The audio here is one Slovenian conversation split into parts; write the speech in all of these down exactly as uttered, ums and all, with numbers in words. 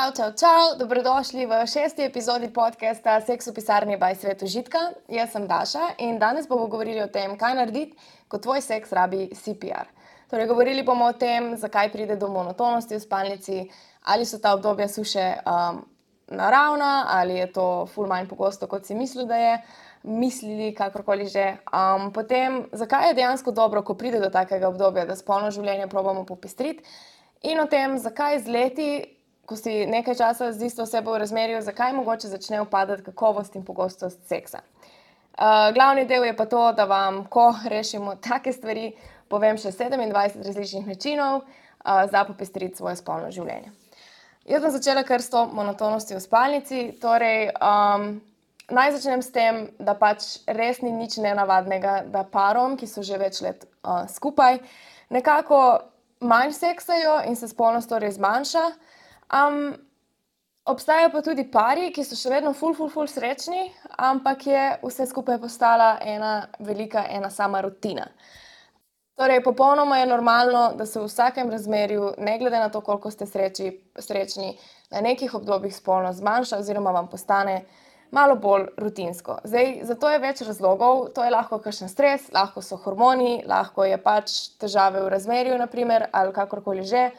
Čau, čau, čau, dobrodošli v šesti epizodi podcasta Seks v pisarni by Svet užitka. Jaz sem Daša in danes bomo govorili o tem, kaj narediti, ko tvoj seks rabi C P R. Torej, govorili bomo o tem, zakaj pride do monotonosti v spalnici, ali so ta obdobja suše um, naravna, ali je to ful manj pogosto, kot si mislil, da je, mislili, kakorkoli že. Um, potem, zakaj je dejansko dobro, ko pride do takega obdobja, da spolno življenje probamo popestriti, in o tem, zakaj z leti, ko si nekaj časa z isto osebo v razmerju, zakaj mogoče začne upadati kakovost in pogostost seksa. Uh, glavni del je pa to, da vam, ko rešimo take stvari, povem še sedemindvajset različnih načinov uh, za popestriti svoje spolno življenje. Jaz sem začela kar s to monotonostjo v spalnici, torej um, naj začnem s tem, da pač res ni nič nenavadnega, da parom, ki so že več let uh, skupaj, nekako manj seksajo in se spolnost torej zmanjša. Um, obstajajo pa tudi pari, ki so še vedno ful, ful, ful srečni, ampak je vse skupaj postala ena velika, ena sama rutina. Torej, popolnoma je normalno, da se v vsakem razmerju, ne glede na to, koliko ste sreči, srečni, na nekih obdobjih spolnost zmanjša oziroma vam postane malo bolj rutinsko. Zdaj, zato je več razlogov, to je lahko kakšen stres, lahko so hormoni, lahko je pač težave v razmerju, na primer, ali kakorkoli že.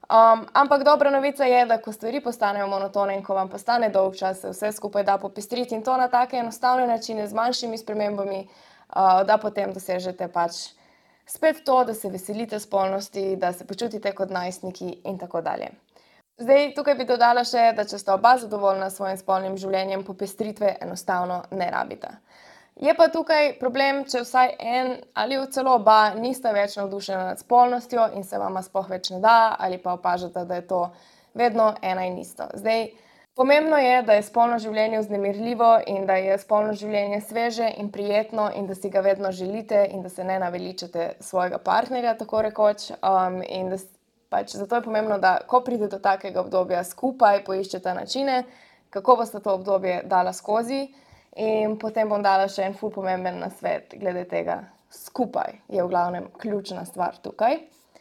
Um, ampak dobra novica je, da ko stvari postanejo monotone in ko vam postane dolg čas, se vse skupaj da popestriti in to na take enostavne načine z manjšimi spremembami, uh, da potem dosežete pač spet to, da se veselite spolnosti, da se počutite kot najstniki in tako dalje. Zdaj, tukaj bi dodala še, da če sta oba zadovoljna s svojim spolnim življenjem, popestritve enostavno ne rabita. Je pa tukaj problem, če vsaj en ali celo oba nista več navdušena nad spolnostjo in se vama sploh več ne da, ali pa opažate, da je to vedno ena in isto. Zdaj, pomembno je, da je spolno življenje vznemirljivo in da je spolno življenje sveže in prijetno in da si ga vedno želite in da se ne naveličate svojega partnerja, tako rekoč. Um, in da pač zato je pomembno, da ko pride do takega obdobja, skupaj poiščete načine, kako boste to obdobje dala skozi. In potem bom dala še en ful pomemben nasvet glede tega. Skupaj je v glavnem ključna stvar tukaj.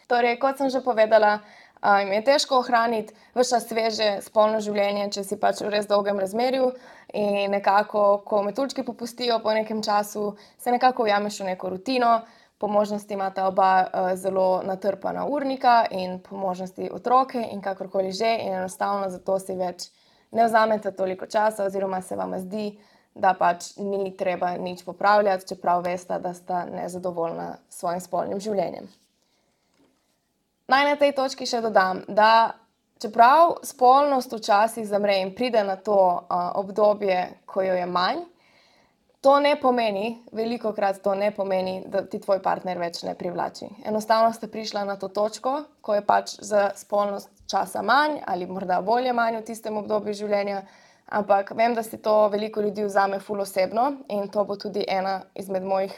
Torej, kot sem že povedala, um, je težko ohraniti ves čas sveže spolno življenje, če si pač v res dolgem razmerju in nekako, ko metuljčki popustijo po nekem času, se nekako ujameš v neko rutino, po možnosti imata oba uh, zelo natrpana urnika in po možnosti otroke in kakorkoli že in enostavno zato si več ne vzamete toliko časa oziroma se vama zdi, da pač ni treba nič popravljati, čeprav veste, da sta nezadovoljna s svojim spolnim življenjem. Naj na tej točki še dodam, da čeprav spolnost včasih zamre in pride na to uh, obdobje, ko jo je manj, to ne pomeni, velikokrat to ne pomeni, da ti tvoj partner več ne privlači. Enostavno ste prišla na to točko, ko je pač za spolnost časa manj ali morda volje manj v tistem obdobju življenja, ampak vem, da si to veliko ljudi vzame ful osebno in to bo tudi ena izmed mojih,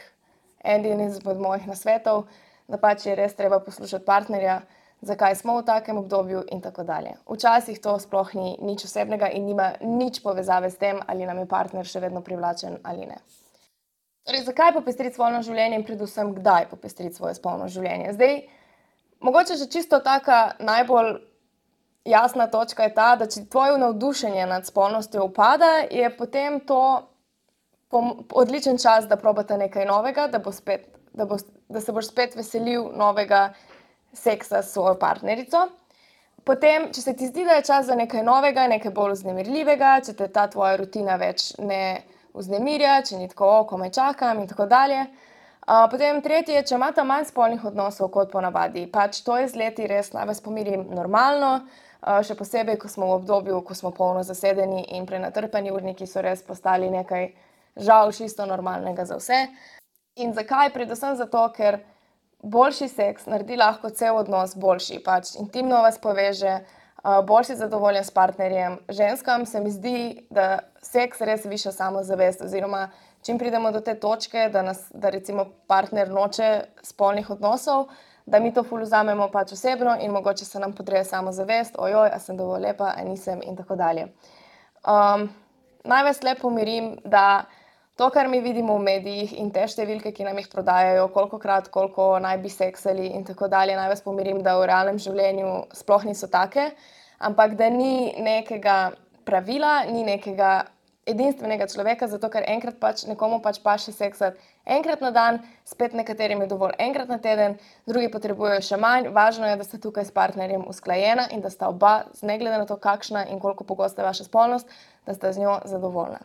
en izmed mojih nasvetov, da pač je res treba poslušati partnerja, zakaj smo v takem obdobju in tako dalje. Včasih to sploh ni nič osebnega in nima nič povezave s tem, ali nam je partner še vedno privlačen ali ne. Torej, zakaj popestriti spolno življenje in predvsem kdaj popestriti svoje spolno življenje? Zdaj, mogoče že čisto taka najbolj jasna točka je ta, da če tvoje navdušenje nad spolnostjo upada, je potem to odličen čas, da probate nekaj novega, da, bo spet, da, bo, da se boš spet veselil novega seksa s svojo partnerico. Potem, če se ti zdi, da je čas za nekaj novega, nekaj bolj vznemirljivega, če te ta tvoja rutina več ne vznemirja, če ni tako, ko me čakam in tako dalje. Uh, potem tretje, če imate manj spolnih odnosov kot ponavadi, pač to je z leti res, naj vas pomirim, normalno. Uh, še posebej, ko smo v obdobju, ko smo polno zasedeni in prenatrpani urniki so res postali nekaj žal čisto normalnega za vse. In zakaj? Predvsem zato, ker boljši seks naredi lahko cel odnos boljši, pač intimno vas poveže, uh, boljši zadovoljen s partnerjem. Ženskam se mi zdi, da seks res viša samozavest oziroma čim pridemo do te točke, da, nas, da recimo partner noče spolnih odnosov, da mi to ful vzamemo pač osebno in mogoče se nam podreje samozavest, ojoj, a sem dovolj lepa, a nisem in tako dalje. Um, naj vas le pomirim, da to, kar mi vidimo v medijih in te številke, ki nam jih prodajajo, kolikokrat, koliko naj bi seksali in tako dalje, naj vas pomirim, da v realnem življenju sploh niso take. ampak da ni nekega pravila, ni nekega edinstvenega človeka, zato ker enkrat pač nekomu pač paše seksati enkrat na dan, spet nekaterim je dovolj enkrat na teden, drugi potrebujejo še manj. Važno je, da sta tukaj s partnerjem usklajena in da sta oba, ne glede na to, kakšna in koliko pogosta je vaša spolnost, da sta z njo zadovoljna.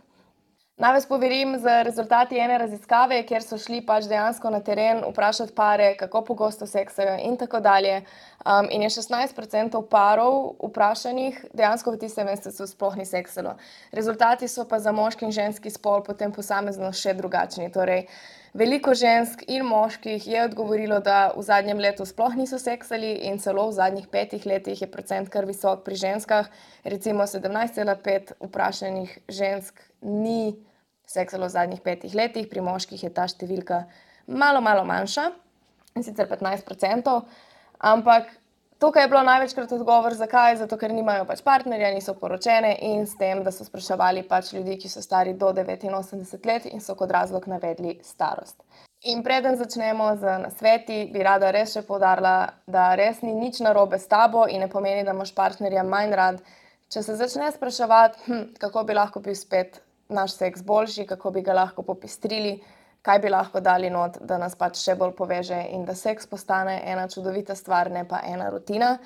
Naj vas poverim z rezultati ene raziskave, kjer so šli pač dejansko na teren vprašati pare, kako pogosto seksajo in tako dalje. Um, in je šestnajst procentov parov vprašanih dejansko v tistem mesecu sploh ni seksalo. Rezultati so pa za moški in ženski spol potem posamezno še drugačni. Torej, veliko žensk in moških je odgovorilo, da v zadnjem letu sploh niso seksali in celo v zadnjih petih letih je procent kar visok pri ženskah. Recimo sedemnajst cela pet vprašanih žensk ni seksalo v zadnjih petih letih, pri moških je ta številka malo, malo manjša, in sicer petnajst procentov, ampak tukaj je bilo največkrat odgovor, zakaj, zato ker nimajo pač partnerja, niso poročene in s tem, da so spraševali pač ljudi, ki so stari do devetinosemdeset let in so kot razlog navedli starost. In preden začnemo z nasveti, bi rada res še poudarila, da res ni nič narobe s tabo in ne pomeni, da imaš partnerja manj rad. Če se začne spraševati, hm, kako bi lahko bil spet naš seks boljši, kako bi ga lahko popestrili, kaj bi lahko dali not, da nas pač še bolj poveže in da seks postane ena čudovita stvar, ne pa ena rutina.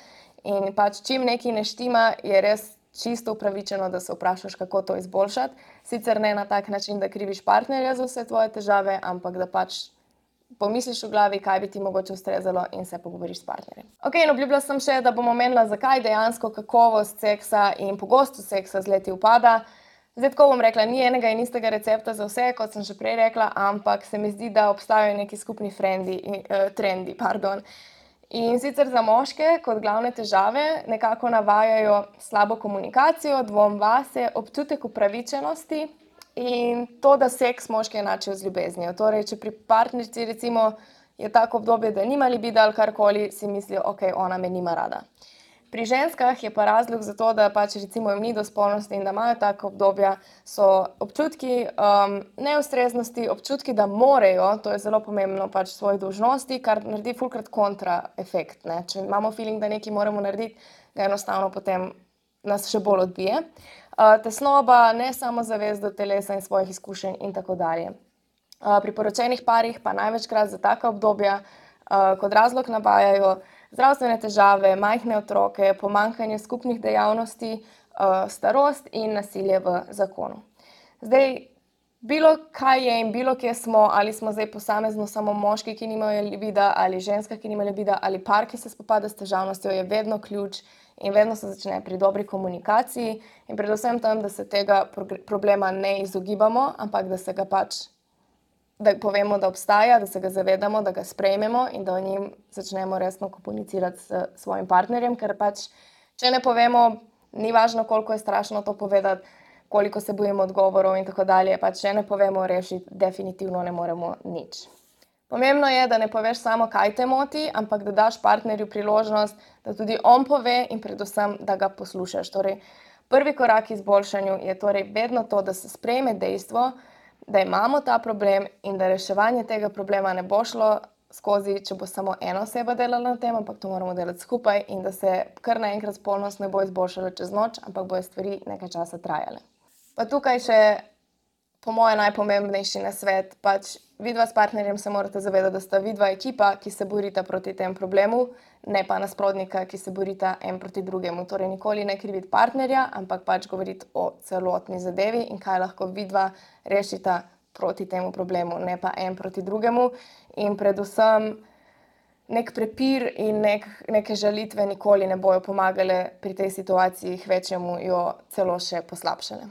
In pač čim nekaj ne štima, je res čisto upravičeno, da se vprašaš, kako to izboljšati. Sicer ne na tak način, da kriviš partnerja za vse tvoje težave, ampak da pač pomisliš v glavi, kaj bi ti mogoče ustrezalo in se pogovoriš s partnerjem. Ok, in obljubila sem še, da bom omenila, zakaj dejansko kakovost seksa in pogostost seksa z leti upada. Zdaj, tako bom rekla, ni enega in istega recepta za vse, kot sem že prej rekla, ampak se mi zdi, da obstajajo neki skupni frendi, eh, trendi. Pardon. In sicer za moške kot glavne težave nekako navajajo slabo komunikacijo, dvom vase, občutek upravičenosti in to, da seks moške enačijo z ljubeznijo. Torej, če pri partnerici recimo je tako obdobje, da nima libida ali karkoli, si mislijo, ok, ona me nima rada. Pri ženskah je pa razlog za to, da pač recimo jim ni do spolnosti in da imajo tako obdobja, so občutki um, neustreznosti, občutki, da morejo, to je zelo pomembno, pač svoje dolžnosti, kar naredi fulkrat kontra efekt, ne. Če imamo feeling, da nekaj moramo narediti, ga enostavno potem nas še bolj odbije. Uh, tesnoba, nesamozavest do telesa in svojih izkušenj in tako dalje. Uh, pri poročenih parih pa največkrat za taka obdobja uh, kot razlog navajajo zdravstvene težave, majhne otroke, pomanjkanje skupnih dejavnosti, starost in nasilje v zakonu. Zdaj, bilo kaj je in bilo kje smo, ali smo zdaj posamezno samo moški, ki nimajo libida, ali ženska, ki nima libida, ali par, ki se spopada s težavnostjo, je vedno ključ in vedno se začne pri dobri komunikaciji in predvsem tam, da se tega problema ne izogibamo, ampak da se ga pač da povemo, da obstaja, da se ga zavedamo, da ga sprejmemo in da o njim začnemo resno komunicirati s svojim partnerjem, ker pač, če ne povemo, ni važno, koliko je strašno to povedati, koliko se bojimo odgovorov in tako dalje, pač če ne povemo rešiti, definitivno ne moremo nič. Pomembno je, da ne poveš samo, kaj te moti, ampak da daš partnerju priložnost, da tudi on pove in predvsem, da ga poslušaš. Torej, prvi korak k izboljšanju je torej vedno to, da se sprejme dejstvo, da imamo ta problem in da reševanje tega problema ne bo šlo skozi, če bo samo ena oseba delala na tem, ampak to moramo delati skupaj in da se kar naenkrat spolnost ne bo izboljšala čez noč, ampak bojo stvari nekaj časa trajale. Pa tukaj še po moje najpomembnejši nasvet, pač vidva s partnerjem se morate zavedati, da sta vidva ekipa, ki se borita proti tem problemu, ne pa nasprotnika, ki se borita en proti drugemu. Torej, nikoli ne kriviti partnerja, ampak pač govoriti o celotni zadevi in kaj lahko vidva rešita proti temu problemu, ne pa en proti drugemu. In predvsem nek prepir in nek, neke žalitve nikoli ne bojo pomagale pri tej situaciji, kvečjemu jo celo še poslabšale.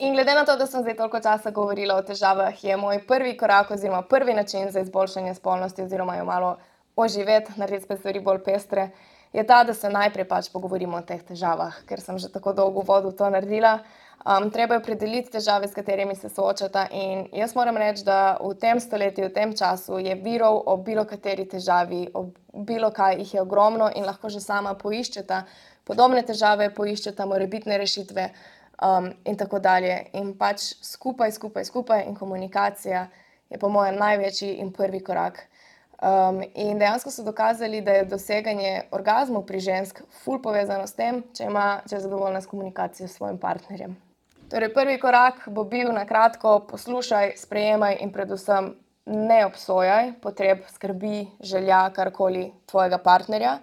In glede na to, da sem zdaj toliko časa govorila o težavah, je moj prvi korak oziroma prvi način za izboljšanje spolnosti oziroma jo malo oživeti, narediti spet stvari bolj pestre, je ta, da se najprej pač pogovorimo o teh težavah, ker sem že tako dolgo v uvodu to naredila. Um, treba je opredeliti težave, s katerimi se soočata in jaz moram reči, da v tem stoletju, v tem času je virov o bilo kateri težavi, o bilo kaj jih je ogromno in lahko že sama poiščeta podobne težave, poiščeta morebitne rešitve. Um, in tako dalje. In pač skupaj, skupaj, skupaj in komunikacija je po mojem največji in prvi korak Um, in dejansko so dokazali, da je doseganje orgazmov pri žensk ful povezano s tem, če, ima, če je zadovoljna s komunikacijo s svojim partnerjem. Torej, prvi korak bo bil na kratko: poslušaj, sprejemaj in predvsem ne obsojaj potreb, skrbi, želja, karkoli tvojega partnerja.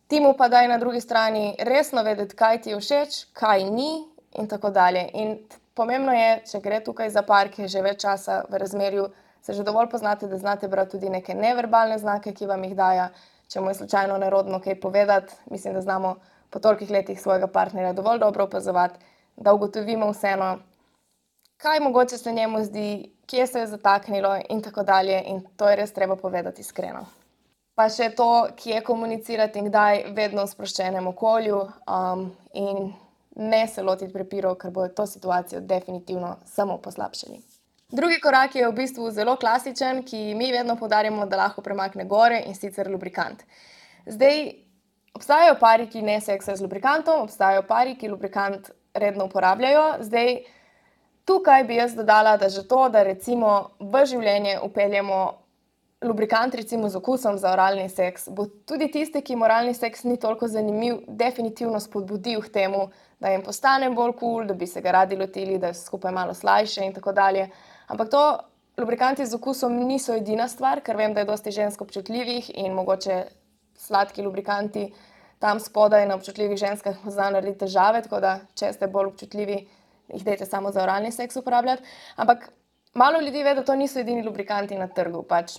Ti mu pa daj na drugi strani resno vedeti, kaj ti je všeč, kaj ni in tako dalje. In pomembno je, če gre tukaj za par, ki je že več časa v razmerju, se že dovolj poznate, da znate brati tudi neke neverbalne znake, ki vam jih daja. Če mu je slučajno nerodno kaj povedati, mislim, da znamo po tolikih letih svojega partnerja dovolj dobro opazovati, da ugotovimo vseeno, kaj mogoče se njemu zdi, kje se je zataknilo in tako dalje, in to je res treba povedati iskreno. Pa še to, kje komunicirati in kdaj, vedno v sproščenem okolju, um, in ne se lotiti prepirov, ker bojo to situacijo definitivno samo poslabšali. Drugi korak je v bistvu zelo klasičen, ki mi vedno poudarjamo, da lahko premakne gore, in sicer lubrikant. Zdaj, obstajajo pari, ki ne seksajo z lubrikantom, obstajajo pari, ki lubrikant redno uporabljajo. Zdaj, tukaj bi jaz dodala, da že to, da recimo v življenje vpeljemo lubrikant recimo z okusom za oralni seks, bo tudi tiste, ki jim oralni seks ni toliko zanimiv, definitivno spodbudil k temu, da jim postane bolj kul, da bi se ga radi lotili, da je skupaj malo slajše in tako dalje. Ampak to, lubrikanti z okusom niso edina stvar, ker vem, da je dosti žensk občutljivih in mogoče sladki lubrikanti tam spodaj na občutljivih ženskah znajo narediti težave, tako da če ste bolj občutljivi, jih dajte samo za oralni seks uporabljati. Ampak malo ljudi ve, da to niso edini lubrikanti na trgu. Pač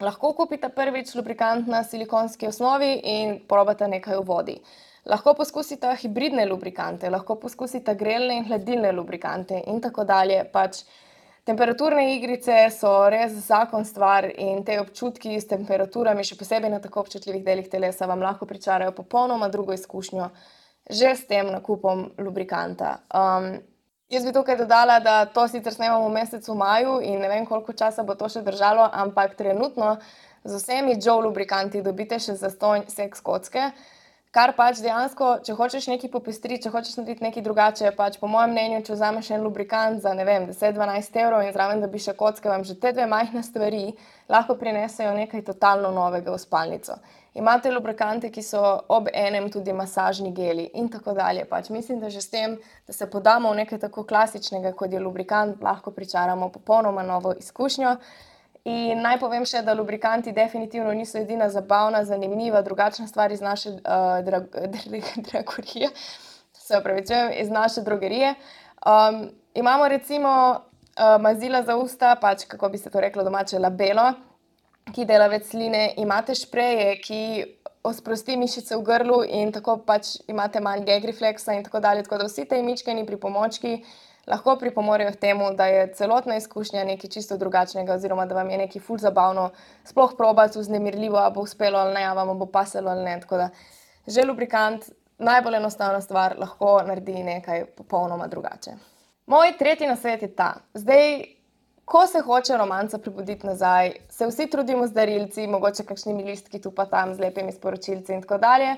lahko kupite prvič lubrikant na silikonski osnovi in probate nekaj v vodi. Lahko poskusite hibridne lubrikante, lahko poskusite grelne in hladilne lubrikante in tako dalje. Pač temperaturne igrice so res zakon stvar in te občutki s temperaturami, še posebej na tako občutljivih delih telesa, vam lahko pričarajo popolnoma drugo izkušnjo že s tem nakupom lubrikanta. Um, jaz bi tukaj dodala, da to sicer snemamo v mesecu maju in ne vem, koliko časa bo to še držalo, ampak trenutno z vsemi Joe lubrikanti dobite še zastonj seks kocke, kar pač dejansko, če hočeš nekaj popestriti, če hočeš narediti nekaj drugače, pač po mojem mnenju, če vzameš en lubrikant za, ne vem, deset do dvanajst evrov in zraven dobiš še kocke, vam že te dve majhne stvari lahko prinesejo nekaj totalno novega v spalnico. Imate lubrikante, ki so ob enem tudi masažni geli in tako dalje. Pač mislim, da že s tem, da se podamo v nekaj tako klasičnega, kot je lubrikant, lahko pričaramo popolnoma novo izkušnjo. In naj povem še, da lubrikanti definitivno niso edina zabavna, zanimiva, drugačna stvar iz naše uh, drag dragorije, se opravičujem, iz naše drogerije. Um, imamo recimo uh, mazila za usta, pač kako bi se to reklo domače, labelo, ki dela več sline, imate špreje, ki osprosti mišice v grlu in tako pač imate manj gag refleksa in tako dalje. Tako da vsi te mičkeni pripomočki lahko pripomorejo k temu, da je celotna izkušnja nekaj čisto drugačnega oziroma da vam je nekaj ful zabavno sploh probati, vznemirljivo, a bo uspelo ali ne, a vam bo pasalo ali ne. Tako da že lubrikant, najbolj enostavna stvar, lahko naredi nekaj popolnoma drugače. Moj tretji nasvet je ta. Zdaj, ko se hoče romanca prebuditi nazaj, se vsi trudimo z darilci, mogoče kakšnimi listki tu pa tam, z lepimi sporočilci in tako dalje.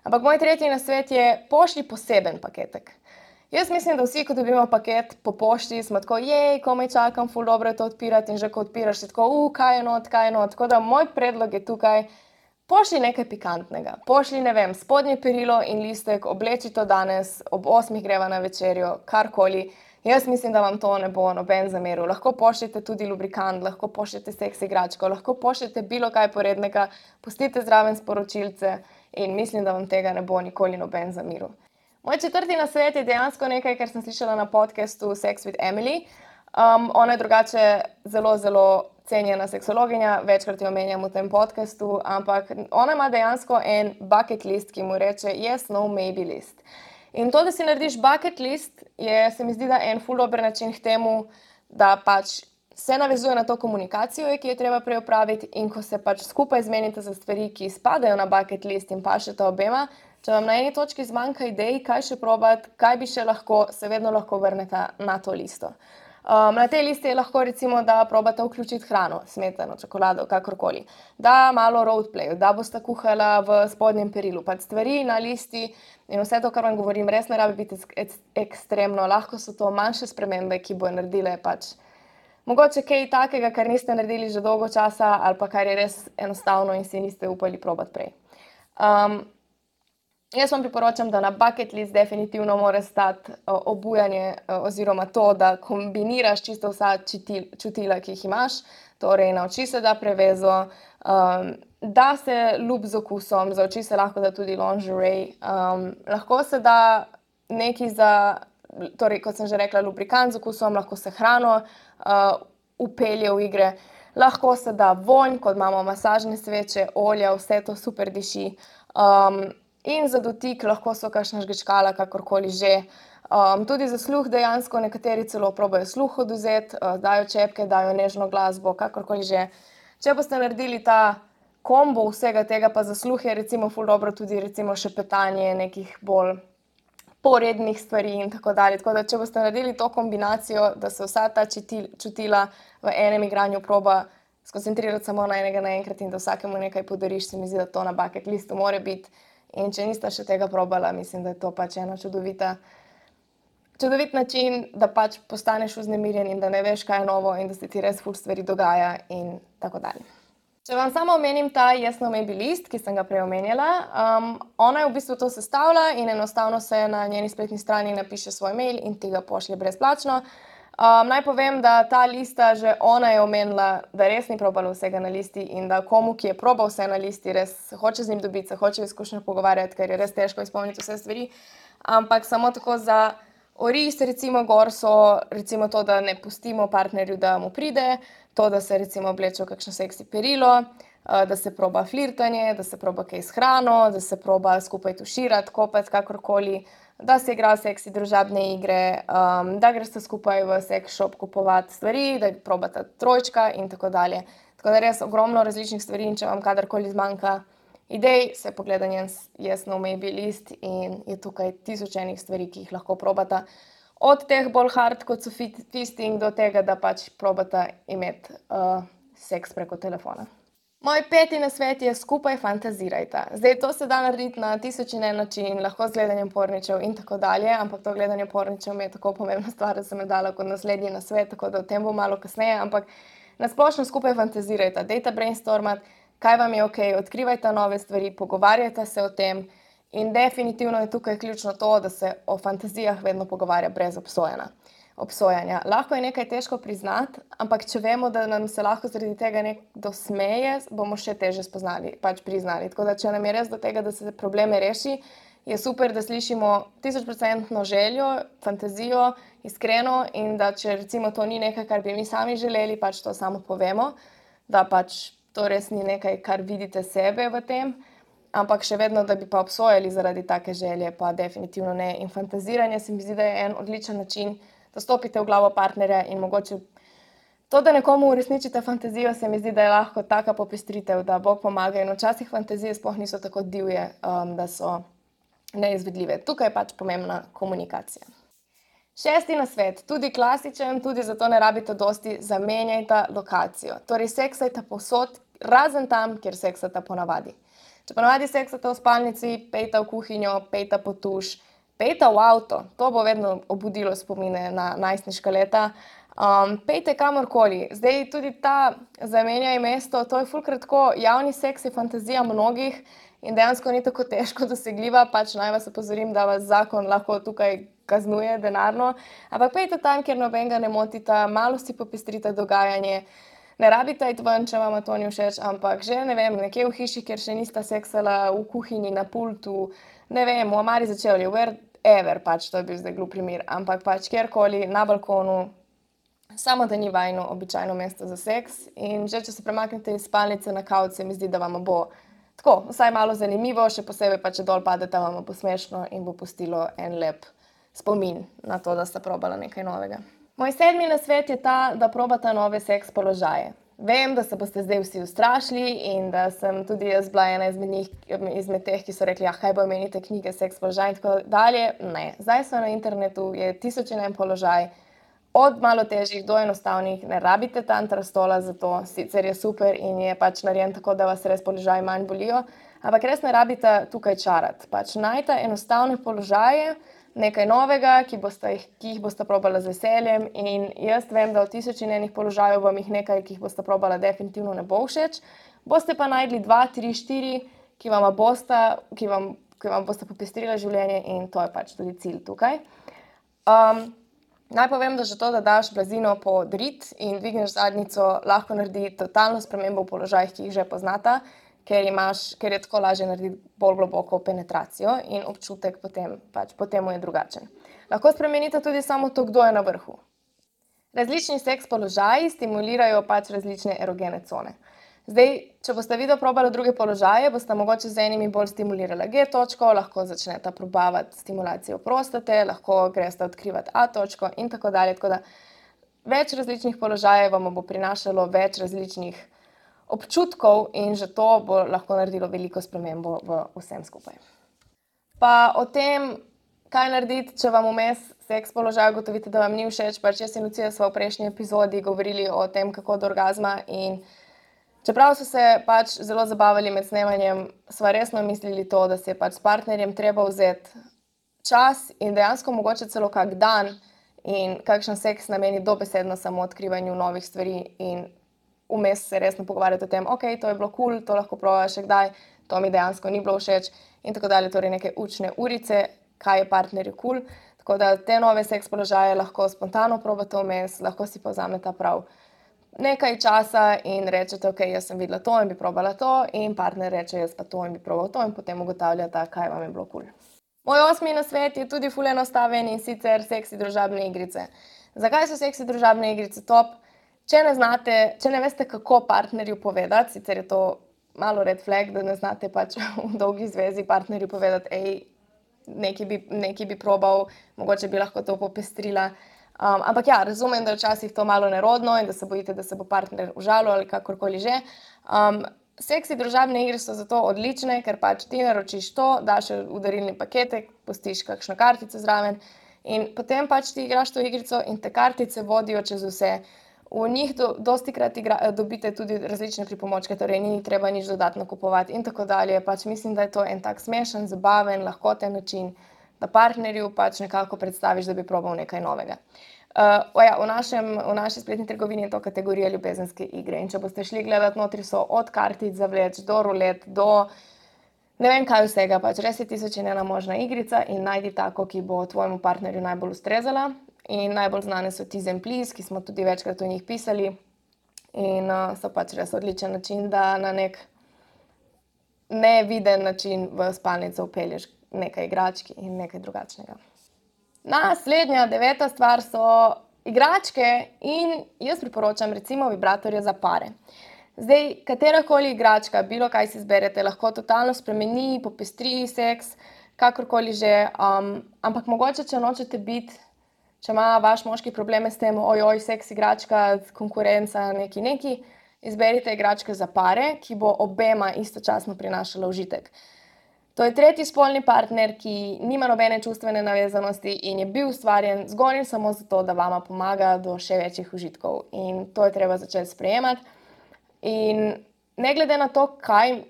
Ampak moj tretji nasvet je, pošlji poseben paketek. Jaz mislim, da vsi, ko dobimo paket po pošti, smo tako, jej, komaj čakam, ful dobro je to odpirati, in že ko odpiraš, si tako, u, kaj je not, kaj je not. Tako da moj predlog je tukaj, pošlji nekaj pikantnega. Pošlji, ne vem, spodnje perilo in listek, obleči to danes, ob osmih greva na večerjo, karkoli. Jaz mislim, da vam to ne bo noben zameril. Lahko pošljete tudi lubrikant, lahko pošljete seks igračko, lahko pošljete bilo kaj porednega, pustite zraven sporočilce in mislim, da vam tega ne bo nikoli noben zameril. Moj četrti nasvet je dejansko nekaj, kar sem slišala na podcastu Sex with Emily. Um, ona je drugače zelo, zelo cenjena seksologinja, večkrat jo omenjam v tem podcastu, ampak ona ima dejansko en bucket list, ki mu reče yes, no, maybe list. In to, da si narediš bucket list, je, se mi zdi, da en ful dober način k temu, da pač se navezuje na to komunikacijo, ki je treba prej opraviti, in ko se pač skupaj zmenite za stvari, ki spadajo na bucket list in pašeta obema, če vam na eni točki zmanjka idej, kaj še probati, kaj bi še lahko, se vedno lahko vrnete na to listo. Um, na tej listi je lahko recimo, da probate vključiti hrano, smetano, čokolado, kakorkoli, da malo roleplayu, da boste kuhala v spodnjem perilu, pač stvari na listi in vse to, kar vam govorim, res ne rabi biti ekstremno, lahko so to manjše spremembe, ki bojo naredile pač Mogoče kaj takega, kar niste naredili že dolgo časa ali pa kar je res enostavno in si niste upali probati prej. Um, jaz vam priporočam, da na bucket list definitivno mora stati uh, obujanje uh, oziroma to, da kombiniraš čisto vsa čutil, čutila, ki jih imaš. Torej, na oči se da prevezo, um, da se lup z okusom, za oči se lahko da tudi lingerie, um, lahko se da nekaj za, torej, kot sem že rekla, lubrikant z okusom, lahko se hrano uh, upelje v igre, lahko se da vonj, kot imamo masažne sveče, olja, vse to super diši. Um, in za dotik lahko so kakšna žgečkala, kakorkoli že. Um, tudi za sluh dejansko nekateri celo probajo sluh odvzeti, uh, dajo čepke, dajo nežno glasbo, kakorkoli že. Če boste naredili ta kombo vsega tega, pa za sluh je recimo ful dobro tudi recimo šepetanje nekih bolj porednih stvari in tako dalje. Tako da, če boste naredili to kombinacijo, da se vsa ta čutil, čutila v enem igranju proba skoncentrirati samo na enega naenkrat in da vsakemu nekaj podariš, se mi zdi, da to na bucket listu more biti. In če niste še tega probala, mislim, da je to pač ena čudovita Čudovit način, da pač postaneš vznemirjen in da ne veš, kaj je novo in da se ti res ful stvari dogaja in tako dalje. Če vam samo omenim ta Yes No Maybe list, ki sem ga prej omenjala, um, ona je v bistvu to sestavlja in enostavno se na njeni spletni strani napiše svoj mail in ti ga pošlje brezplačno. Um, naj povem, da ta lista, že ona je omenila, da res ni probala vsega na listi in da komu, ki je probal vse na listi, res se hoče z njim dobiti, se hoče izkušnjo pogovarjati, ker je res težko izpolniti vse stvari, ampak samo tako za oris, recimo gor so recimo to, da ne pustimo partnerju, da mu pride, to, da se recimo obleče v kakšno seksi perilo, da se proba flirtanje, da se proba kaj s hrano, da se proba skupaj tuširati, kopati, kakorkoli, da se igra seksi družabne igre, um, da greste skupaj v sex shop kupovati stvari, da probata trojčka in tako dalje. Tako da res ogromno različnih stvari in če vam kadarkoli zmanjka idej, se pogleda njen Yes No Maybe list in je tukaj tisoč enih stvari, ki jih lahko probata. Od teh bolj hard, kot so fisting, do tega, da pač probata imeti uh, seks preko telefona. Moj peti nasvet je skupaj fantazirajta. Zdaj, to se da narediti na tisoč in en način, lahko z gledanjem porničev in tako dalje, ampak to gledanje porničev mi je tako pomembna stvar, da sem jo dala kot naslednji nasvet, tako da o tem bo malo kasneje, ampak nasplošno skupaj fantazirajta, dejta brainstormat, kaj vam je ok, odkrivajte nove stvari, pogovarjajte se o tem in definitivno je tukaj ključno to, da se o fantazijah vedno pogovarja brez obsojanja. obsojanja. Lahko je nekaj težko priznati, ampak če vemo, da nam se lahko zaradi tega nekdo smeje, bomo še teže spoznali, pač priznali. Tako da, če nam je res do tega, da se probleme reši, je super, da slišimo tisočprocentno željo, fantazijo, iskreno in da če recimo to ni nekaj, kar bi mi sami želeli, pač to samo povemo, da pač to res ni nekaj, kar vidite sebe v tem, ampak še vedno, da bi pa obsojali zaradi take želje, pa definitivno ne. In fantaziranje se mi zdi, da je en odličen način, da stopite v glavo partnerja in mogoče to, da nekomu uresničite fantazijo, se mi zdi, da je lahko taka popestritev, da Bog pomaga in včasih fantazije sploh niso tako divje, um, da so neizvedljive. Tukaj je pač pomembna komunikacija. Šesti nasvet, tudi klasičen, tudi zato ne rabite dosti, zamenjajte lokacijo. Torej, seksajte povsod, razen tam, kjer seksate ponavadi. Če ponavadi seksate v spalnici, pejte v kuhinjo, pejte pod tuš, pejte v avto, to bo vedno obudilo spomine na najstniška leta. Um, pejte kamorkoli. Zdaj tudi ta zamenjaj mesto, to je ful kratko, javni seks je fantazija mnogih in dejansko ni tako težko dosegljiva, pač naj vas opozorim, da vas zakon lahko tukaj kaznuje denarno, ampak pejte tam, kjer nobenega ne motita, malo si popestrite dogajanje, ne rabite iti ven, če vam to ni všeč, ampak že, ne vem, nekje v hiši, kjer še nista seksala, v kuhinji, na pultu, ne vem, v omari za čevlje, wherever, pač to je bil zdaj glup primer, ampak pač kjerkoli, na balkonu, samo da ni vajno običajno mesto za seks in že, če se premaknete iz spalnice na kavč, se mi zdi, da vam bo tako, vsaj malo zanimivo, še posebej pa, če dol padete, vam bo smešno in bo pustilo en lep spomin na to, da sta probala nekaj novega. Moj sedmi nasvet je ta, da probata nove seks položaje. Vem, da se boste zdaj vsi ustrašili in da sem tudi jaz bila ena izmed njih, izmed teh, ki so rekli, ah, kaj bo menite knjige, seks položaj in tako dalje. Ne, zdaj so na internetu, je tisoč in en položaj, od malo težjih do enostavnih, ne rabite tantra stola za to, sicer je super in je pač narejen tako, da vas res položaji manj bolijo, ampak res ne rabite tukaj čarati. Pač najte enostavne položaje, nekaj novega, ki, boste, ki jih boste probala z veseljem, in jaz vem, da v tisoč in enih položajev vam jih nekaj, ki jih boste probala, definitivno ne bo všeč. Boste pa najdli dva, tri, štiri, ki vam boste, ki vam, ki vam boste popestrila življenje, in to je pač tudi cilj tukaj. Um, naj povem, da že to, da daš blazino pod rit in dvigneš zadnjico, lahko naredi totalno spremembo v položajih, ki jih že poznata, ker, imaš, ker je tako lažje narediti bolj globoko penetracijo in občutek potem, pač, potem je drugačen. Lahko spremenite tudi samo to, kdo je na vrhu. Različni seks položaji stimulirajo pač različne erogene cone. Zdaj, če boste video probali druge položaje, boste mogoče z enimi bolj stimulirali G točko, lahko začnete probavati stimulacijo prostate, lahko greste odkrivati A točko in tako dalje. Tako da več različnih položajev vam bo prinašalo več različnih občutkov in že to bo lahko naredilo veliko spremembo v vsem skupaj. Pa o tem, kaj narediti, če vam vmes seks položaj ugotovite, da vam ni všeč, pač jaz in Lucija sva v prejšnji epizodi govorili o tem, kako do orgazma, in čeprav so se pač zelo zabavali med snemanjem, sva resno mislili to, da se je pač s partnerjem treba vzeti čas in dejansko mogoče celo kak dan in kakšen seks nameni dobesedno samo odkrivanju novih stvari in vmes se resno pogovarjati o tem, ok, to je bilo kul, cool, to lahko probaš še kdaj, to mi dejansko ni bilo všeč in tako dalje, torej neke učne urice, kaj je partnerju kul. Cool. Tako da te nove seks položaje lahko spontano probate vmes, lahko si povzamete prav nekaj časa in rečete, ok, jaz sem videla to in bi probala to, in partner reče, jaz pa to in bi probal to, in potem ugotavljate, kaj vam je bilo kul. Cool. Moj osmi nasvet je tudi ful enostaven, in sicer seksi družabne igrice. Zakaj so seksi družabne igrice top? Če ne znate, če ne veste, kako partnerju povedati, sicer je to malo red flag, da ne znate pač v dolgi zvezi partnerju povedati, ej, nekaj bi, nekaj bi probal, mogoče bi lahko to popestrila. Um, ampak ja, razumem, da je včasih to malo nerodno in da se bojite, da se bo partner užalil ali kakorkoli že. Um, seksi družabne igre so zato odlične, ker pač ti naročiš to, daš v darilni paketek, pustiš kakšno kartico zraven in potem pač ti igraš to igrico in te kartice vodijo čez vse. V njih do, dosti krat igra, dobite tudi različne pripomočke, torej ni treba nič dodatno kupovati in tako dalje. Pač mislim, da je to en tak smešen, zabaven, lahkoten način, da partnerju pač nekako predstaviš, da bi probal nekaj novega. Uh, ja, v, našem, v naši spletni trgovini je to kategorija ljubezenske igre in če boste šli gledati, notri so od kartic za vleč do rulet, do ne vem kaj vsega, pač res je tisoč in ena možna igrica in najdi tako, ki bo tvojemu partnerju najbolj ustrezala. In najbolj znane so Tease and Please, ki smo tudi večkrat o njih pisali in uh, so pač res odličen način, da na nek neviden način v spalnico vpelješ nekaj igračk in nekaj drugačnega. Naslednja, deveta stvar so igračke in jaz priporočam recimo vibratorje za pare. Zdaj, katerakoli igračka, bilo kaj si izberete, lahko totalno spremeni, popestri seks, kakorkoli že, um, ampak mogoče, če nočete biti, če ima vaš moški probleme s tem, ojoj, seks igračka, konkurenca, neki neki, izberite igračke za pare, ki bo obema istočasno prinašala užitek. To je tretji spolni partner, ki nima nobene čustvene navezanosti in je bil ustvarjen zgolj in samo zato, da vama pomaga do še večjih užitkov. In to je treba začeti sprejemati. In ne glede na to, kaj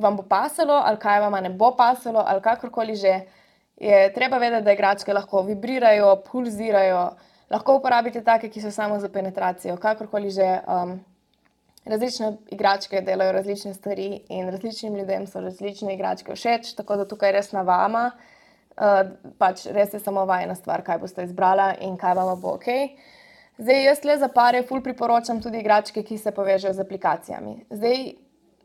vam bo pasalo ali kaj vama ne bo pasalo ali kakorkoli že, je treba vedeti, da igračke lahko vibrirajo, pulzirajo, lahko uporabite take, ki so samo za penetracijo, kakorkoli že. Um, različne igračke delajo različne stvari in različnim ljudem so različne igračke všeč, tako da tukaj res na vama, uh, pač res je samo vajina stvar, kaj boste izbrala in kaj vama bo ok. Zdaj, jaz tle za pare ful priporočam tudi igračke, ki se povežejo z aplikacijami. Zdaj,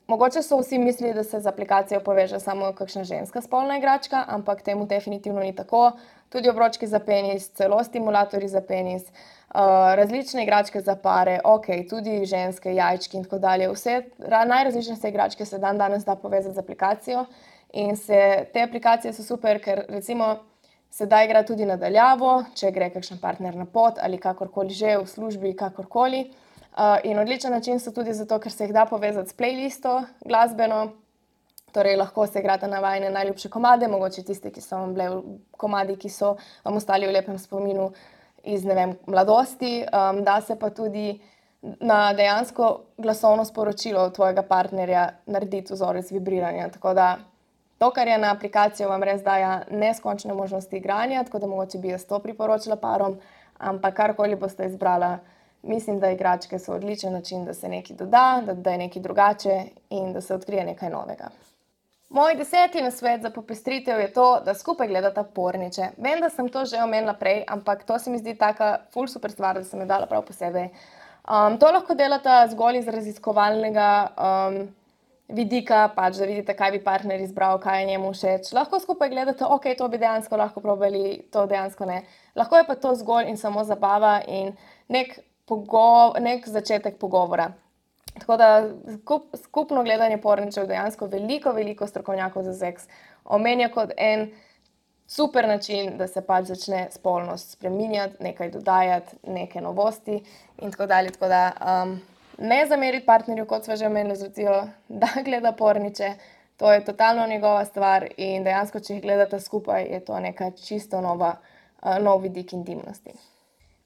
mogoče so vsi mislili, da se z aplikacijo poveže samo kakšna ženska spolna igračka, ampak temu definitivno ni tako. Tudi obročki za penis, celo stimulatorji za penis, uh, različne igračke za pare, ok, tudi ženske, jajčki in tako dalje. Vse najrazličnejše igračke se dan danes da povezati z aplikacijo in se, te aplikacije so super, ker recimo se da igrati tudi nadaljavo, če gre kakšen partner na pot ali kakorkoli že, v službi, kakorkoli. Uh, in odličen način so tudi zato, ker se jih da povezati s playlisto glasbeno, torej lahko se igrate na vajine najljubše komade, mogoče tiste, ki so vam bile komadi, ki so vam ostali v lepem spominu iz, ne vem, mladosti. Um, da se pa tudi na dejansko glasovno sporočilo tvojega partnerja narediti vzorec vibriranja, tako da To, kar je na aplikacijo, vam res daje neskončne možnosti igranja, tako da mogoče bi jaz to priporočila parom, ampak karkoli boste izbrala, mislim, da igračke so odličen način, da se nekaj doda, da dodajo nekaj drugače in da se odkrije nekaj novega. Moj deseti nasvet za popestritev je to, da skupaj gledata porniče. Vem, da sem to že omenila prej, ampak to se mi zdi taka ful super stvar, da sem jo dala prav posebej. Um, to lahko delata zgolj iz raziskovalnega um, vidika, pač da vidite, kaj bi partner izbral, kaj je njemu všeč. Lahko skupaj gledate, ok, to bi dejansko lahko probali, to dejansko ne. Lahko je pa to zgolj in samo zabava in nek, pogo- nek začetek pogovora. Tako da skup, skupno gledanje porničev dejansko veliko, veliko strokovnjakov za seks omenja kot en super način, da se pač začne spolnost spreminjati, nekaj dodajati, neke novosti in tako dalje. Tako da um, ne zameriti partnerju, kot sva že omenili z Lucijo, da gleda porniče, to je totalno njegova stvar in dejansko, če jih gledata skupaj, je to neka čisto nova, uh, nov vidik intimnosti.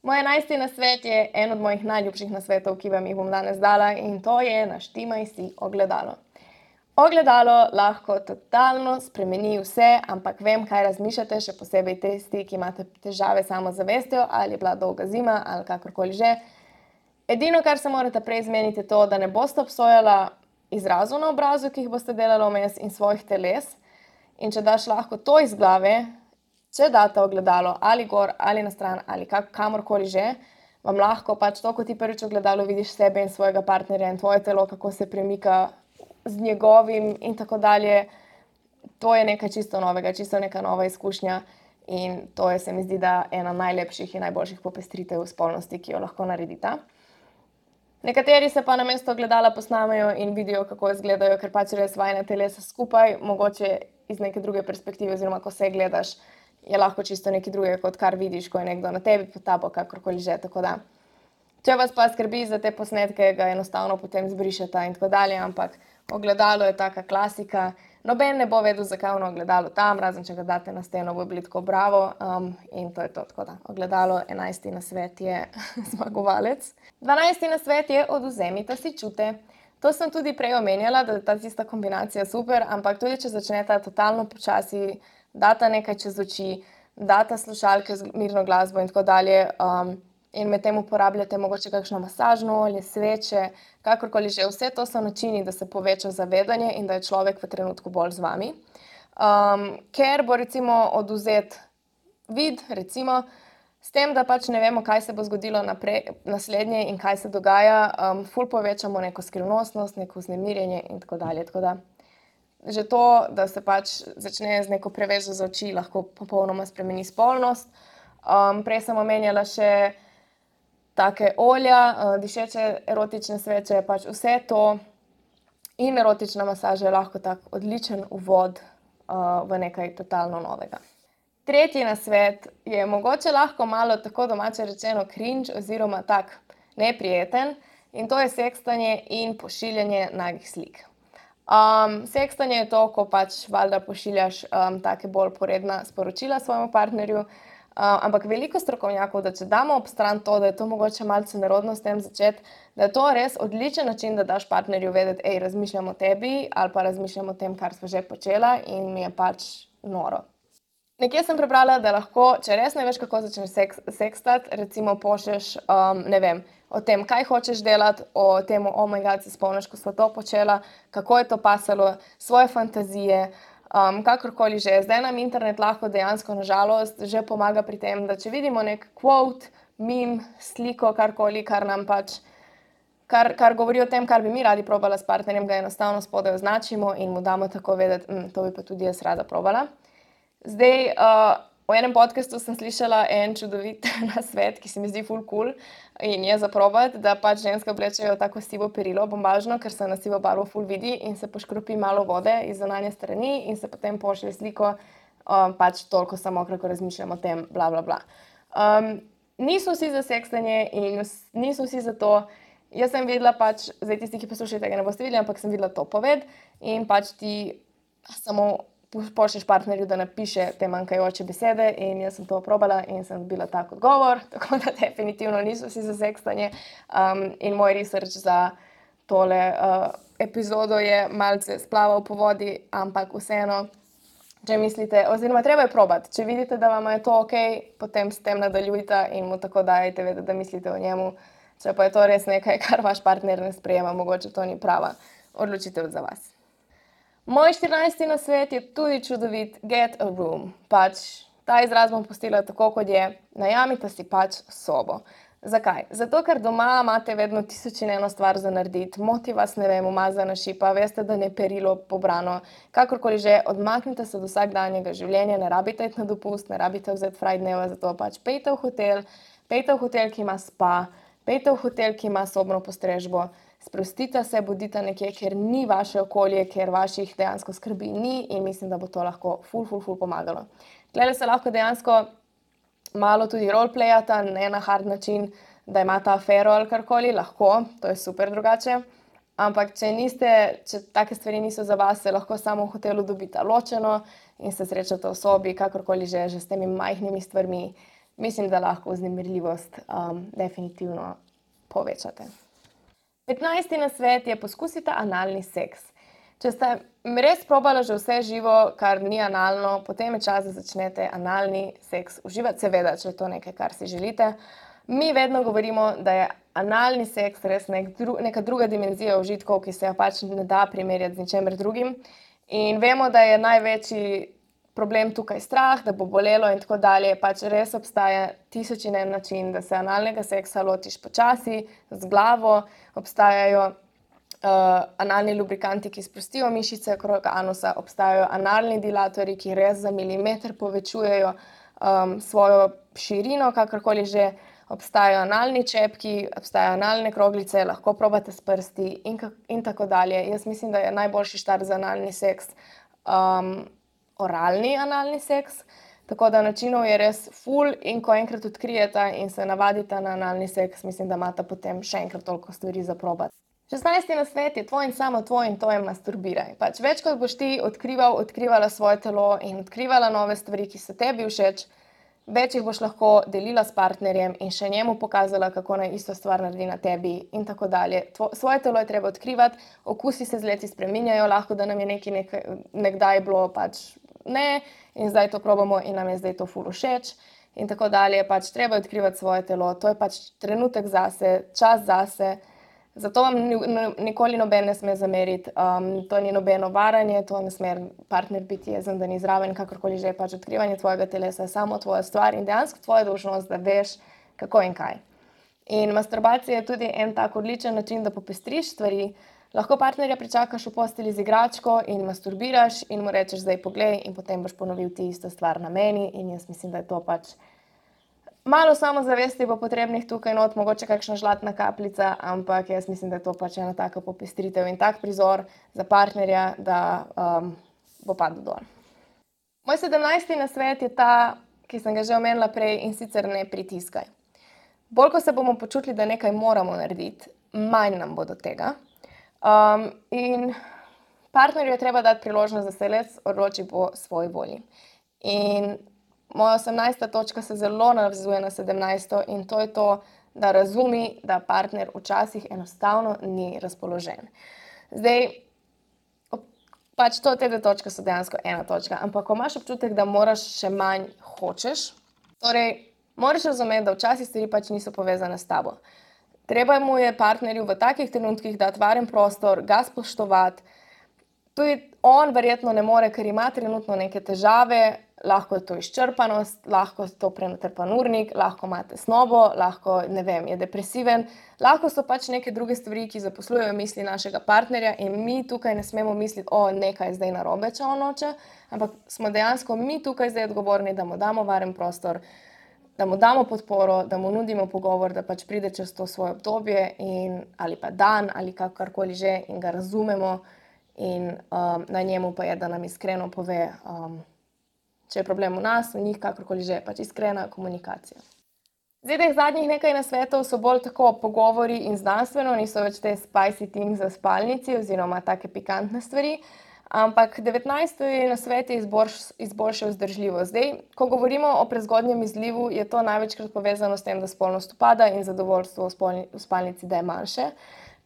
Moj enajsti nasvet je en od mojih najljubših nasvetov, ki vam jih bom danes dala in to je naštimaj si ogledalo. Ogledalo lahko totalno spremeni vse, ampak vem, kaj razmišljate, še posebej tisti, ki imate težave s samozavestjo ali je bila dolga zima ali kakorkoli že. Edino, kar se morate prej zmeniti, je to, da ne boste obsojala izrazov na obrazu, ki jih boste delali vmes in svojih teles. In če daš lahko to iz glave, če date ogledalo ali gor ali na stran ali kak, kamorkoli že, vam lahko pač to, ko ti prvič ogledalo vidiš sebe in svojega partnerja in tvoje telo, kako se premika z njegovim in tako dalje, to je nekaj čisto novega, čisto neka nova izkušnja in to je, se mi zdi, da ena najlepših in najboljših popestritev spolnosti, ki jo lahko naredita. Nekateri se pa namesto ogledala posnamejo in vidijo, kako izgledajo, ker pač res vajina telesa skupaj, mogoče iz neke druge perspektive, oziroma ko se gledaš, je lahko čisto nekaj drugega, kot kar vidiš, ko je nekdo na tebi, pod tabo, kakorkoli že, tako da. Če vas pa skrbi za te posnetke, ga enostavno potem zbrišete in tako dalje, ampak ogledalo je taka klasika. Noben ne bo vedel, zakaj je ono ogledalo tam, razen če ga date na steno, bo bili tako bravo um, in to je to, tako da. Ogledalo, enajsti nasvet je zmagovalec. Dvanajsti nasvet je odvzemite si čute. To sem tudi prej omenjala, da je ta tista kombinacija super, ampak tudi če začnete totalno počasi, data nekaj čez oči, data slušalke z mirno glasbo in tako dalje um, in med tem uporabljate mogoče kakšno masažno olje, sveče, kakorkoli že. Vse to so načini, da se poveča zavedanje in da je človek v trenutku bolj z vami. Um, ker bo recimo odvzet vid, recimo, s tem, da pač ne vemo, kaj se bo zgodilo naprej, naslednje in kaj se dogaja, um, ful povečamo neko skrivnostnost, neko vznemirjenje in tako dalje. Tako da že to, da se pač začne z neko prevezo za oči, lahko popolnoma spremeni spolnost. Um, prej sem omenjala še take olja, uh, dišeče erotične sveče, pač vse to in erotična masaža je lahko tak odličen uvod uh, v nekaj totalno novega. Tretji nasvet je mogoče lahko malo tako domače rečeno cringe oziroma tak neprijeten in to je sekstanje in pošiljanje nagih slik. Um, sekstanje je to, ko pač valjda pošiljaš um, take bolj poredna sporočila svojemu partnerju, uh, ampak veliko strokovnjakov, da če damo ob stran to, da je to mogoče malce nerodno s tem začeti, da je to res odličen način, da daš partnerju vedeti, ej, razmišljam o tebi ali pa razmišljam o tem, kar sva že počela in mi je pač noro. Nekje sem prebrala, da lahko, če res ne veš, kako začneš seks, sekstati, recimo pošlješ, um, ne vem, o tem, kaj hočeš delati, o tem, oh my god, se spomniš, ko sva to počela, kako je to pasalo, svoje fantazije, um, kakorkoli že. Zdaj nam internet lahko dejansko, nažalost, že pomaga pri tem, da če vidimo nek quote, meme, sliko, karkoli, kar nam pač, kar, kar govori o tem, kar bi mi radi probala s partnerjem, ga enostavno spodaj označimo in mu damo tako vedeti, hm, to bi pa tudi jaz rada probala. Zdaj, uh, v enem podcastu sem slišala en čudovit nasvet, ki se mi zdi ful cool in je za probati, da pač ženske oblečejo tako sivo perilo, bombažno, ker se na sivo barvo ful vidi in se poškropi malo vode iz zunanje strani in se potem pošlje sliko, um, pač toliko samo, ko razmišljam o tem, bla, bla, bla. Um, niso vsi za sekstanje in niso vsi za to. Jaz sem videla pač, zdaj tisti, ki poslušate, tega ne boste videli, ampak sem videla to poved in pač ti samo pošlješ partnerju, da napiše te manjkajoče besede in jaz sem to probala in sem dobila tak odgovor, tako da definitivno niso vsi za sekstanje. Um, in moj research za tole uh, epizodo je malce splaval po vodi, ampak vseeno Če mislite, oziroma treba je probati, če vidite, da vam je to ok, potem s tem nadaljujte in mu tako dajte vedeti, da mislite o njemu. Če pa je to res nekaj, kar vaš partner ne sprejema, mogoče to ni prava odločitev za vas. Moj štirinajsti nasvet je tudi čudovit, get a room. Pač ta izraz bom pustila tako, kot je, najamite si pač sobo. Zakaj? Zato, ker doma imate vedno tisoč in eno stvar za narediti, moti vas, ne vem, umazana šipa, veste, da ne perilo pobrano, kakorkoli že, odmaknite se do vsakdanjega življenja, ne rabite iti na dopust, ne rabite vzeti fraj dneva, zato pač pejte v hotel, pejte v hotel, ki ima spa, pejte v hotel, ki ima sobno postrežbo, sprostite se, bodite nekje, kjer ni vaše okolje, kjer vaših dejansko skrbi ni in mislim, da bo to lahko ful, ful, ful pomagalo. Tlele se lahko dejansko malo tudi roleplayata, ne na hard način, da imata afero ali karkoli, lahko, to je super drugače. Ampak če niste, če take stvari niso za vas, se lahko samo v hotelu dobita ločeno in se srečate v sobi, kakorkoli že, že s temi majhnimi stvarmi. Mislim, da lahko vznemirljivost um, definitivno povečate. petnajsti nasvet je poskusite analni seks. Če ste res probali že vse živo, kar ni analno, potem je čas, da začnete analni seks uživati, seveda, če je to nekaj, kar si želite. Mi vedno govorimo, da je analni seks res nek dru, neka druga dimenzija užitkov, ki se jo pač ne da primerjati z ničemer drugim. In vemo, da je največji problem tukaj strah, da bo bolelo in tako dalje. Pač res obstaja tisoč in en način, da se analnega seksa lotiš počasi, z glavo, obstajajo Uh, analni lubrikanti, ki sprostijo mišice okrog anusa, obstajajo analni dilatorji, ki res za milimeter povečujejo um, svojo širino, kakorkoli že, obstajajo analni čepki, obstajajo analne kroglice, lahko probate s prsti in, in tako dalje. Jaz mislim, da je najboljši štart za analni seks um, oralni analni seks, tako da načinov je res ful in ko enkrat odkrijete in se navadite na analni seks, mislim, da imate potem še enkrat toliko stvari za probati. šestnajsti nasvet je tvoj in samo tvoj in to je masturbiraj. Pač več kot boš ti odkrival, odkrivala svoje telo in odkrivala nove stvari, ki so tebi všeč, več jih boš lahko delila s partnerjem in še njemu pokazala, kako naj isto stvar naredi na tebi in tako dalje. Tvo, svoje telo je treba odkrivati, okusi se z leti spreminjajo, lahko da nam je nekaj, nekaj nekdaj bilo pač ne in zdaj to probamo in nam je zdaj to ful všeč in tako dalje. Pač treba odkrivati svoje telo, to je pač trenutek zase, čas zase. Zato vam nikoli noben ne sme zameriti, um, to ni nobeno varanje, to ne sme partner biti jezen, da ni zraven, kakorkoli že, pač odkrivanje tvojega telesa je samo tvoja stvar in dejansko tvoja dolžnost, da veš, kako in kaj. In masturbacija je tudi en tak odličen način, da popestriš stvari, lahko partnerja pričakaš v postelji z igračko in masturbiraš in mu rečeš, zdaj poglej in potem boš ponovil ti isto stvar na meni in jaz mislim, da je to pač malo samozavesti bo potrebnih tukaj not, mogoče kakšna žlatna kapljica, ampak jaz mislim, da je to pač ena taka popestritev in tak prizor za partnerja, da um, bo padel dol. Moj sedemnajsti nasvet je ta, ki sem ga že omenila prej in sicer ne pritiskaj. Bolj, ko se bomo počutili, da nekaj moramo narediti, manj nam bo do tega. Um, in partnerju je treba dati priložnost, da se les odloči po svoji volji. In moja osemnajsta točka se zelo navezuje na sedemnajsto in to je to, da razumi, da partner včasih enostavno ni razpoložen. Zdaj, pač to te dve točke so dejansko ena točka, ampak ko imaš občutek, da moraš še manj hočeš, torej moraš razumeti, da včasih stvari pač niso povezane s tabo. Treba mu je partnerju v takih trenutkih dati varen prostor, ga spoštovati. Tudi on verjetno ne more, ker ima trenutno neke težave, lahko je to izčrpanost, lahko je to prenatrpan urnik, lahko ima tesnobo, lahko, ne vem, je depresiven, lahko so pač neke druge stvari, ki zaposlujejo misli našega partnerja in mi tukaj ne smemo misliti, o, nekaj je zdaj narobe, če on noče, ampak smo dejansko mi tukaj zdaj odgovorni, da mu damo varen prostor, da mu damo podporo, da mu nudimo pogovor, da pač pride čez to svoje obdobje in, ali pa dan ali kakorkoli že in ga razumemo in um, na njemu pa je, da nam iskreno pove, um, če je problem v nas, v njih, kakorkoli že, pač iskrena komunikacija. Zdaj, teh zadnjih nekaj nasvetov so bolj tako pogovori in znanstveno, niso več te spicy things za spalnici oziroma take pikantne stvari, ampak devetnajsti nasvet je izboljšal vzdržljivost. Zdaj, ko govorimo o prezgodnjem izlivu, je to največkrat povezano s tem, da spolnost upada in zadovoljstvo v, spolni, v spalnici, da je manjše.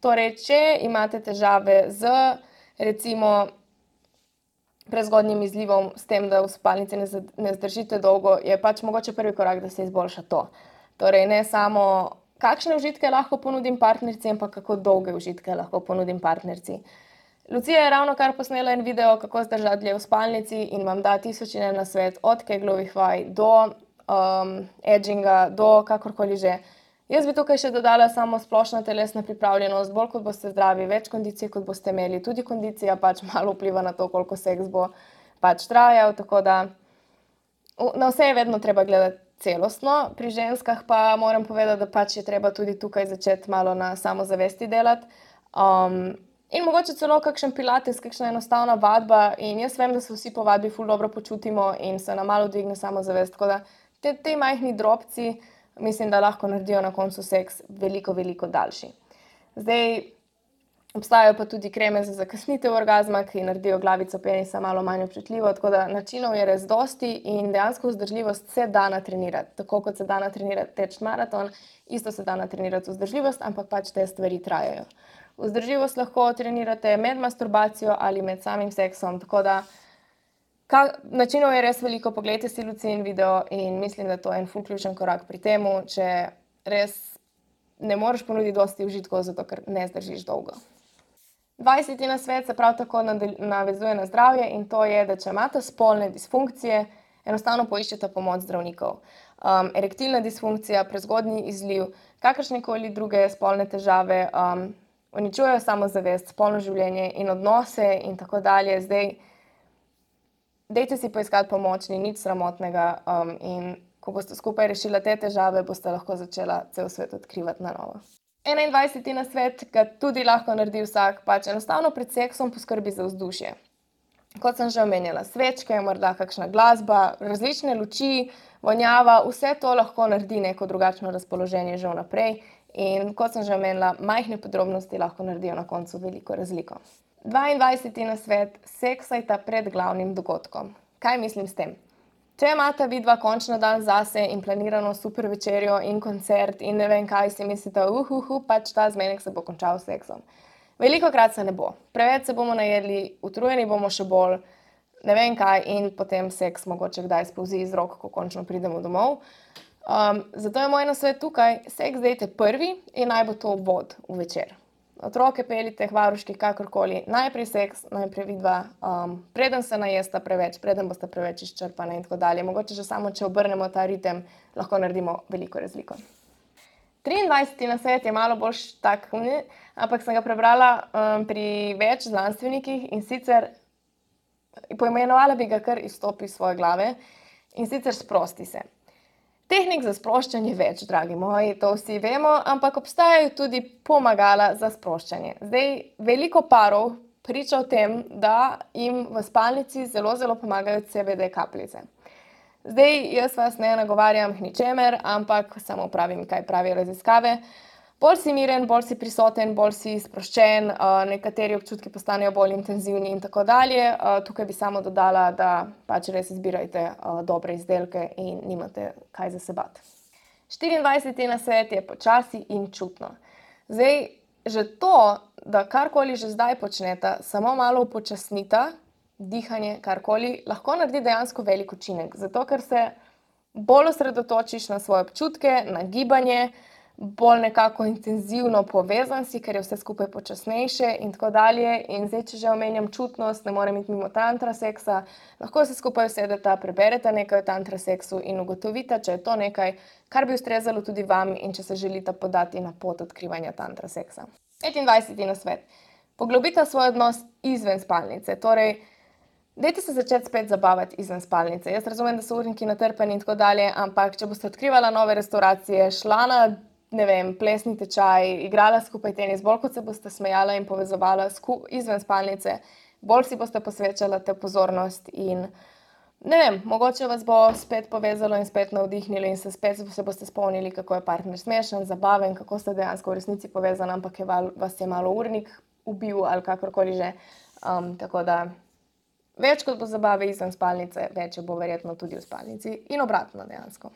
Torej, če imate težave z recimo prezgodnjim izlivom, s tem, da v spalnici ne, ne zdržite dolgo, je pač mogoče prvi korak, da se izboljša to. Torej, ne samo, kakšne užitke lahko ponudim partnerici, ampak kako dolge užitke lahko ponudim partnerici. Lucija je ravno kar posnela en video, kako zdržati dlje v spalnici in vam da tisoč in en nasvet, od keglovih vaj do um, edginga, do kakorkoli že. Jaz bi tukaj še dodala samo splošna telesna pripravljenost, bolj kot boste zdravi, več kondicije, kot boste imeli. Tudi kondicija pač malo vpliva na to, koliko seks bo pač trajal, tako da na vse je vedno treba gledati celostno. Pri ženskah pa moram povedati, da pač je treba tudi tukaj začeti malo na samozavesti delati. Um, in mogoče celo kakšen pilates, kakšna enostavna vadba in jaz vem, da se vsi po vadbi ful dobro počutimo in se nam malo dvigne samozavest, tako da te, te majhni drobci mislim, da lahko naredijo na koncu seks veliko, veliko daljši. Zdaj, obstajajo pa tudi kreme za zakasnitev orgazma, ki naredijo glavico penisa malo manj občutljivo, tako da načinov je res dosti in dejansko vzdržljivost se da natrenirati. Tako kot se da natrenirati teč maraton, isto se da natrenirati vzdržljivost, ampak pač te stvari trajajo. Vzdržljivost lahko trenirate med masturbacijo ali med samim seksom, tako da Ka, načinov je res veliko, poglejte si Lucin video in mislim, da to je en ful ključen korak pri temu, če res ne moreš ponuditi dosti užitkov, zato ker ne zdržiš dolgo. dvajseti nasvet se prav tako navezuje na zdravje in to je, da če imate spolne disfunkcije, enostavno poiščete pomoč zdravnikov. Um, erektilna disfunkcija, prezgodnji izliv, kakršnekoli druge spolne težave, um, uničujejo samozavest, spolno življenje in odnose in tako dalje. Zdaj, dejte si poiskati pomoč, ni nič sramotnega um, in ko boste skupaj rešili te težave, boste lahko začela cel svet odkrivati na novo. enaindvajseti nasvet, ga tudi lahko naredi vsak, pač enostavno pred seksom poskrbi za vzdušje. Kot sem že omenjala, svečke, morda kakšna glasba, različne luči, vonjava, vse to lahko naredi neko drugačno razpoloženje že vnaprej in kot sem že omenila, majhne podrobnosti lahko naredijo na koncu veliko razliko. dvaindvajseti nasvet, seksajta pred glavnim dogodkom. Kaj mislim s tem? Če imate vidva končno dan zase in planirano super večerjo in koncert in ne vem kaj, si mislite, uhuhu, uh, uh, pač ta zmenek se bo končal s seksom. Velikokrat se ne bo. Preveč se bomo najedli, utrujeni bomo še bolj, ne vem kaj in potem seks mogoče kdaj spolzi iz rok, ko končno pridemo domov. Um, zato je moj nasvet tukaj, seks dejte prvi in naj bo to vod v večer. Otroke pelite, hvaruški, kakorkoli, najprej seks, najprej vidva, um, preden se najesta preveč, preden boste preveč izčrpane in tako dalje. Mogoče že samo, če obrnemo ta ritem, lahko naredimo veliko razliko. triindvajseti nasvet je malo bolj tak, ampak sem ga prebrala um, pri več znanstvenikih in sicer poimenovala bi ga kar izstopi iz svoje glave in sicer sprosti se. Tehnik za sproščanje več, dragi moji, to vsi vemo, ampak obstajajo tudi pomagala za sproščanje. Zdaj, veliko parov priča o tem, da jim v spalnici zelo, zelo pomagajo C B D kapljice. Zdaj, jaz vas ne nagovarjam k ničemer, ampak samo pravim, kaj pravijo raziskave. Bolj si miren, bolj si prisoten, bolj si sproščen, nekateri občutki postanejo bolj intenzivni in tako dalje. Tukaj bi samo dodala, da pač res izbirajte dobre izdelke in nimate kaj za se bati. štiriindvajseti nasvet je počasi in čutno. Zdaj, že to, da karkoli že zdaj počnete, samo malo upočasnita, dihanje, karkoli, lahko naredi dejansko velik učinek. Zato, ker se bolj osredotočiš na svoje občutke, na gibanje, bolj nekako intenzivno povezan si, ker je vse skupaj počasnejše in tako dalje. In zdaj, če že omenjam čutnost, ne morem iti mimo tantra seksa, lahko se skupaj usedete, preberete nekaj o tantra seksu in ugotovite, če je to nekaj, kar bi ustrezalo tudi vam in če se želite podati na pot odkrivanja tantra seksa. petindvajseti nasvet. Poglobite svoj odnos izven spalnice, torej dajte se začeti spet zabavati izven spalnice. Jaz razumem, da so urniki natrpani in tako dalje, ampak če boste odkrivala nove restauracije, šla na ne vem, plesni tečaj, igrala skupaj tenis, bolj kot se boste smejala in povezovala izven spalnice, bolj si boste posvečala te pozornost in ne vem, mogoče vas bo spet povezalo in spet navdihnilo in se spet se boste spomnili, kako je partner smešen, zabaven, kako ste dejansko v resnici povezani, ampak je val, vas je malo urnik ubil ali kakorkoli že. Um, tako da več kot bo zabave izven spalnice, več bo verjetno tudi v spalnici in obratno dejansko.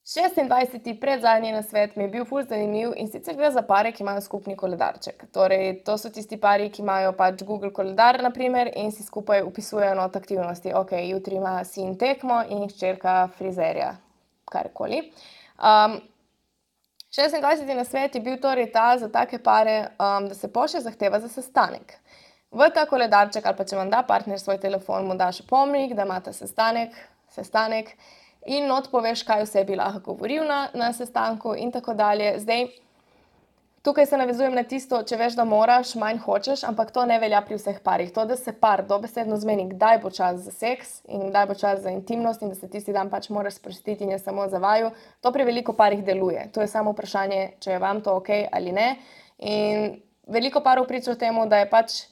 šestindvajseti predzadnji nasvet mi je bil ful zanimiv, in sicer gre za pare, ki imajo skupni koledarček. Torej, to so tisti pari, ki imajo pač Google koledar, na primer, in si skupaj vpisujejo not aktivnosti. Okej, jutri ima sin tekmo in hčerka frizerja, karkoli. šestindvajseti nasvet je bil torej ta za take pare, da se pošlje zahteva za sestanek. V ta koledarček, ali pa če vam da partner svoj telefon, mu daš opomnik, da imate sestanek, sestanek, in not poveš, kaj vse bi lahko govoril na, na sestanku in tako dalje. Zdaj, tukaj se navezujem na tisto, če veš, da moraš, manj hočeš, ampak to ne velja pri vseh parih. To, da se par dobesedno zmeni, kdaj bo čas za seks in kdaj bo čas za intimnost in da se tisti dan pač moraš sprostiti in je samo za vaju, to pri veliko parih deluje. To je samo vprašanje, če je vam to okej ali ne. In veliko parov priča o temu, da je pač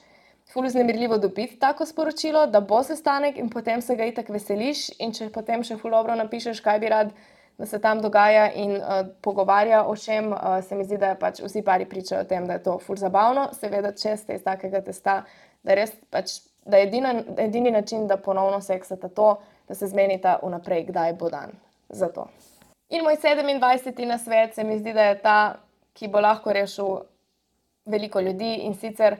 ful vznemirljivo dobiti tako sporočilo, da bo sestanek, in potem se ga itak veseliš, in če potem še ful dobro napišeš, kaj bi rad, da se tam dogaja, in uh, pogovarja o čem, uh, se mi zdi, da pač vsi pari pričajo o tem, da je to ful zabavno. Seveda, če ste iz takega testa, da res pač, da je edina, edini način, da ponovno seksata to, da se zmenita vnaprej, kdaj bo dan za to. In moj sedemindvajseti nasvet se mi zdi, da je ta, ki bo lahko rešil veliko ljudi, in sicer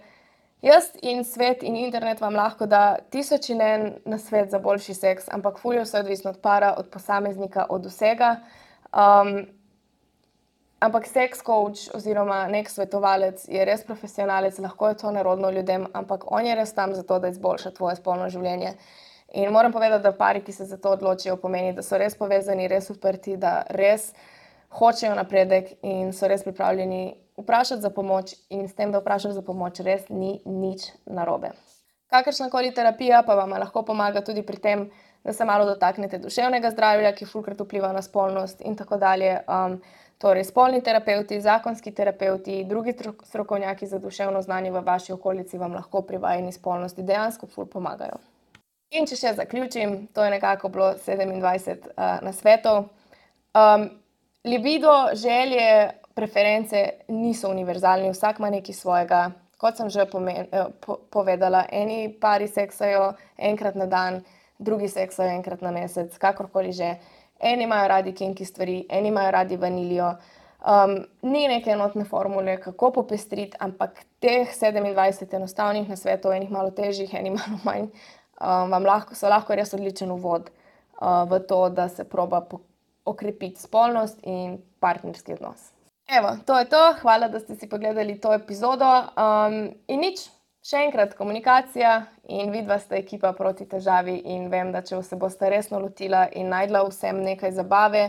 jaz in svet in internet vam lahko da tisoč in en nasvet za boljši seks, ampak ful je vse odvisno od para, od posameznika, od vsega. Um, ampak sex coach oziroma nek svetovalec je res profesionalec, lahko je to nerodno ljudem, ampak on je res tam zato, da izboljša tvoje spolno življenje. In moram povedati, da pari, ki se za to odločijo, pomeni, da so res povezani, res odprti, da res hočejo napredek in so res pripravljeni vprašati za pomoč, in s tem, da vprašaš za pomoč, res ni nič narobe. Kakršnakoli terapija pa vam lahko pomaga tudi pri tem, da se malo dotaknete duševnega zdravja, ki fulkrat vpliva na spolnost in tako dalje. Um, torej, spolni terapevti, zakonski terapevti, drugi strokovnjaki za duševno znanje v vaši okolici vam lahko pri vajini spolnosti dejansko ful pomagajo. In če še zaključim, to je nekako bilo sedemindvajset uh, nasvetov. Um, libido, želje, preference niso univerzalni, vsak ima nekaj svojega. Kot sem že pomen, po, povedala, eni pari seksajo enkrat na dan, drugi seksajo enkrat na mesec, kakorkoli že. Eni imajo radi kinky stvari, eni imajo radi vanilijo. Um, ni neke enotne formule, kako popestriti, ampak teh sedemindvajset enostavnih nasvetov, enih malo težjih, enih malo manj, um, vam lahko, so lahko res odličen uvod uh, v to, da se proba okrepiti spolnost in partnerski odnos. Evo, to je to. Hvala, da ste si pogledali to epizodo. Um, in nič, še enkrat, komunikacija in vidva sta ekipa proti težavi, in vem, da če se boste resno lotila in najdla vsem nekaj zabave,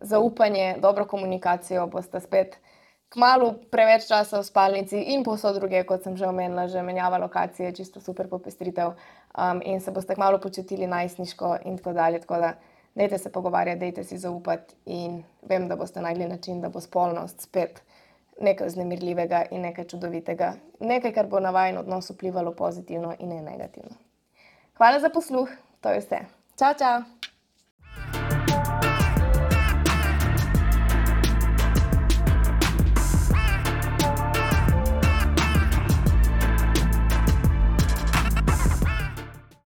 zaupanje, dobro komunikacijo, boste spet kmalu preveč časa v spalnici in povsod druge, kot sem že omenila, že menjava lokacije, čisto super popestritev, um, in se boste kmalu počutili najstniško in tako dalje, tako da dajte se pogovarjati, dajte si zaupati, in vem, da boste našli način, da bo spolnost spet nekaj vznemirljivega in nekaj čudovitega. Nekaj, kar bo na vajin odnos vplivalo pozitivno in ne negativno. Hvala za posluh, to je vse. Čau, čau!